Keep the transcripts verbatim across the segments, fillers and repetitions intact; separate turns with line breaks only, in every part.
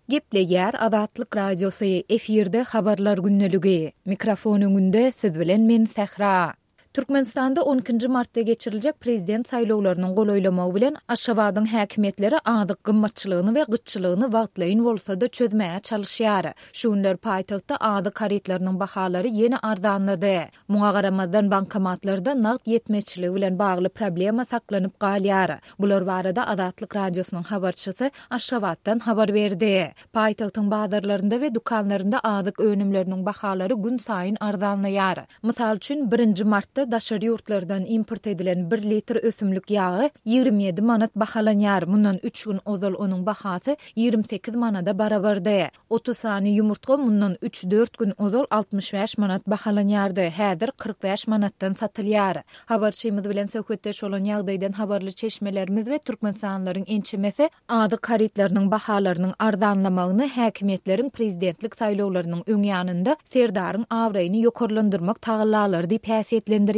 Gepleýär Azatlyk Radiosy, efirde Habarlar gündeligi. Mikrofon öňünde siz bilen men Sähra. Türkmenistanda on ikinji martda geçiriljek prezident saýlawlarynyň golaýlamagy bilen Aşgabadyň häkimiýetleri azyk gymmatçylygyny we gytçylygyny wagtlaýyn bolsa-da çözmäge çalyşýar. Şu günler paýtagtda azyk harytlarynyň bahalary ýene arzanlady. Muňa garamazdan bankomatlarda nagt ýetmezçiligi bilen bagly problema saklanyp galýar. Bular barada Azatlyk Radiosynyň habarçysy Aşgabatdan habar berdi. Paýtagtyň bazarlarynda we dükanlarynda azyk önümleriniň bahalary gün saýyn arzanlaýar. Mysal üçin, birinji martda daşary ýurtlardan import edilen bir litr ösümlik ýagy ýigrimi ýedi manat bahalanýar. Mundan üç gün ozal onuň bahasy ýigrimi sekiz manada barabardy. Otuz sany ýumurtga mundan üç-dört gün ozal altmyş bäş manat bahalanýardy, häzir kyrk bäş manatdan satylýar. Habarçymyz bilen söhbetdeş bolan ýagdaýdan habarly çeşmelerimiz we türkmenistanlylaryň ençemesi azyk harytlarynyň bahalarynyň arzanlamagyny häkimiýetleriň prezidentlik saýlawlarynyň öň ýanynda Serdaryň abraýyny ýokarlandyrmak tagallalary diýip häsiýetlendirýärler.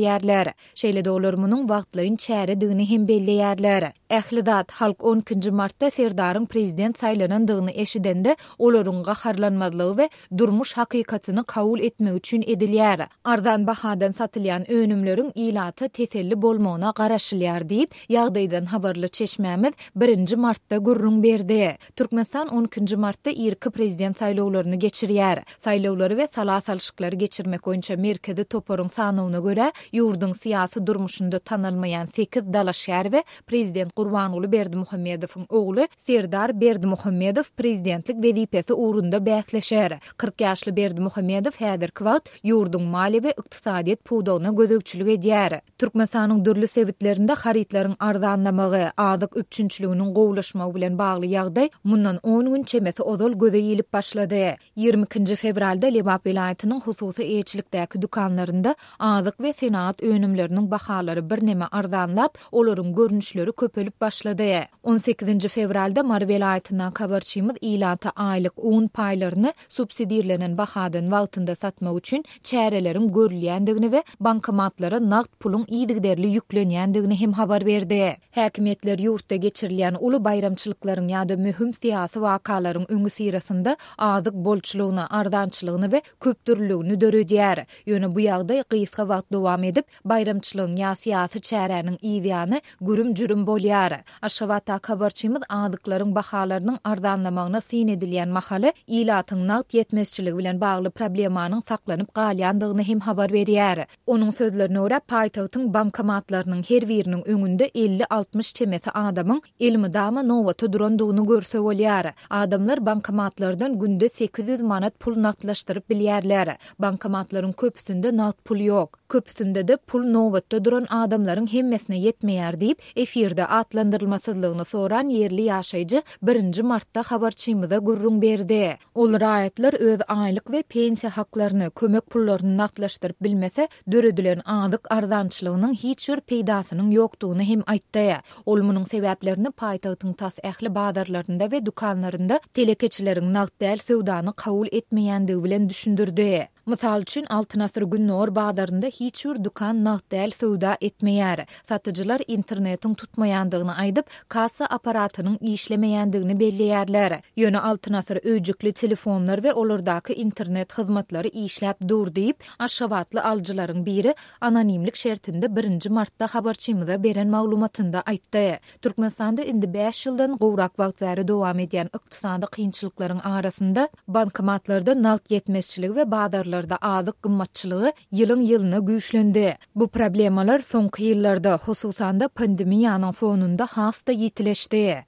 Şeýle-de olar munuň wagtlaýyn çäredigini hem belleýärler. Ähli zat halk on ikinji martda Serdaryň prezident saýlanandygyny eşidende olaryň gaharlanmazlygy we durmuş hakykatyny kabul etmek üçin edilýär. Arzan bahadan satylýan önümleriň ilata teselli bolmagyna garaşylýar diýip, ýagdaýdan habarly çeşmämiz birinji martda gürrüň berdi. Türkmenistan on ikinji martda irki prezident saýlawlaryny geçirýär. Saýlawlary we sala salşyklary geçirmek boýunça merkezi toparyň sanawyna görä, ýurduň syýasy durmuşynda tanalmaýan sekiz dalaşgär we prezident Gurbanguly Berdimuhamedowyň ogly Serdar Berdimuhamedow prezidentlik wezipesi ugrunda bäsleşer. Kyrk ýaşly Berdimuhamedow häzirki wagt ýurduň maliýe we ykdysadyýet pudagyna gözegçilik edýär. Türkmenistanyň dürli sebitlerinde harytlaryň arzanlamagy, azyk üpjünçiliginiň gowulaşmagy bilen bagly ýagdaý mundan on gün çemesi ozal göze ilip başlady. Ýigrimi ikinji fewralda Lebap welaýatynyň hususy eýeçilikdäki dükanlarynda azyk we senagat önümleriniň bahalary birneme arzanlap, olaryň görnüşleri köpelip başlady. On sekizinji fewralda Mary welaýatyndan habarçymyz ilata aýlyk un paýlaryny subsidirlenen bahadan wagtynda satmak üçin çäreleriň görülýändigini we bankomatlara nagt puluň yzygiderli ýüklenýändigini hem habar berdi. Häkimiýetler ýurtda geçirilýän uly baýramçylyklaryň ýa-da möhüm syýasy wakalaryň öňüsyrasynda azyk bolçulygyny, arzançylygyny we köpdürlüligini döredýär. Ýöne bu ýagdaý gysga wagt dowam edip, baýramçylygyň ýa syýasy çäräniň yzýany gürüm-jürüm bolýar. Aşgabatdaky habarçymyz azyklaryň bahalarynyň arzanlamagyna syn edilýän mahaly ilatyň nagt ýetmezçiligi bilen bagly problemanyň saklanyp galýandygyny hem habar berýär. Onuň sözlerine görä, paýtagtyň bankomatlarynyň her biriniň öňünde elli-altmyş çemesi adamyň elmydama nobata durandygyny görse bolýar. Adamlar bankomatlardan günde sekiz ýüz manat pul nagtlaşdyryp bilýärler. Bankomatlaryň köpüsinde nagt pul ýok. Köpüsinde-de pul nobatda duran adamlaryň hemmesine ýetmeýär diýip, efirde atlandyrylmasyzlygyny soran ýerli ýaşaýjy birinji martda habarçymyza gürrüň berdi. Ol raýatlar öz aýlyk we pensiýa haklaryny, kömek pullaryny nagtlaşdyryp bilmese, döredilen azyk arzançylygynyň hiç bir peýdasynyň ýokdugyny hem aýtdy. Ol munuň sebäplerini paýtagtyň tas ähli bazarlarynda we dükanlarynda telekeçileriň nagt däl söwdany kabul etmeýändigi bilen düşündirdi. Mysal üçin, Altyn Asyr Gündogar bazarynda hiç bir dükan nagt däl söwda etmeýär. Satyjylar internetiň tutmaýandygyny aýdyp, kassa aparatynyň işlemeýändigini belleýärler. Ýöne Altyn Asyr öýjükli telefonlar we olardaky internet hyzmatlary işläp dur diýip, aşgabatly alyjylaryň biri anonimlik şertinde birinji martda habarçymyza beren maglumatynda aýtdy. Türkmenistanda indi bäş ýyldan gowrak wagt bäri dowam edýän ykdysady kynçylyklaryň arasynda bankomatlarda nagt ýetmezçiligi we bazarlarda azyk gymmatçylygy ýylyň ýylyna güýçlendi. Bu problemalar soňky ýyllarda, hususan-da pandemiýanyň fonunda has-da ýitileşdi.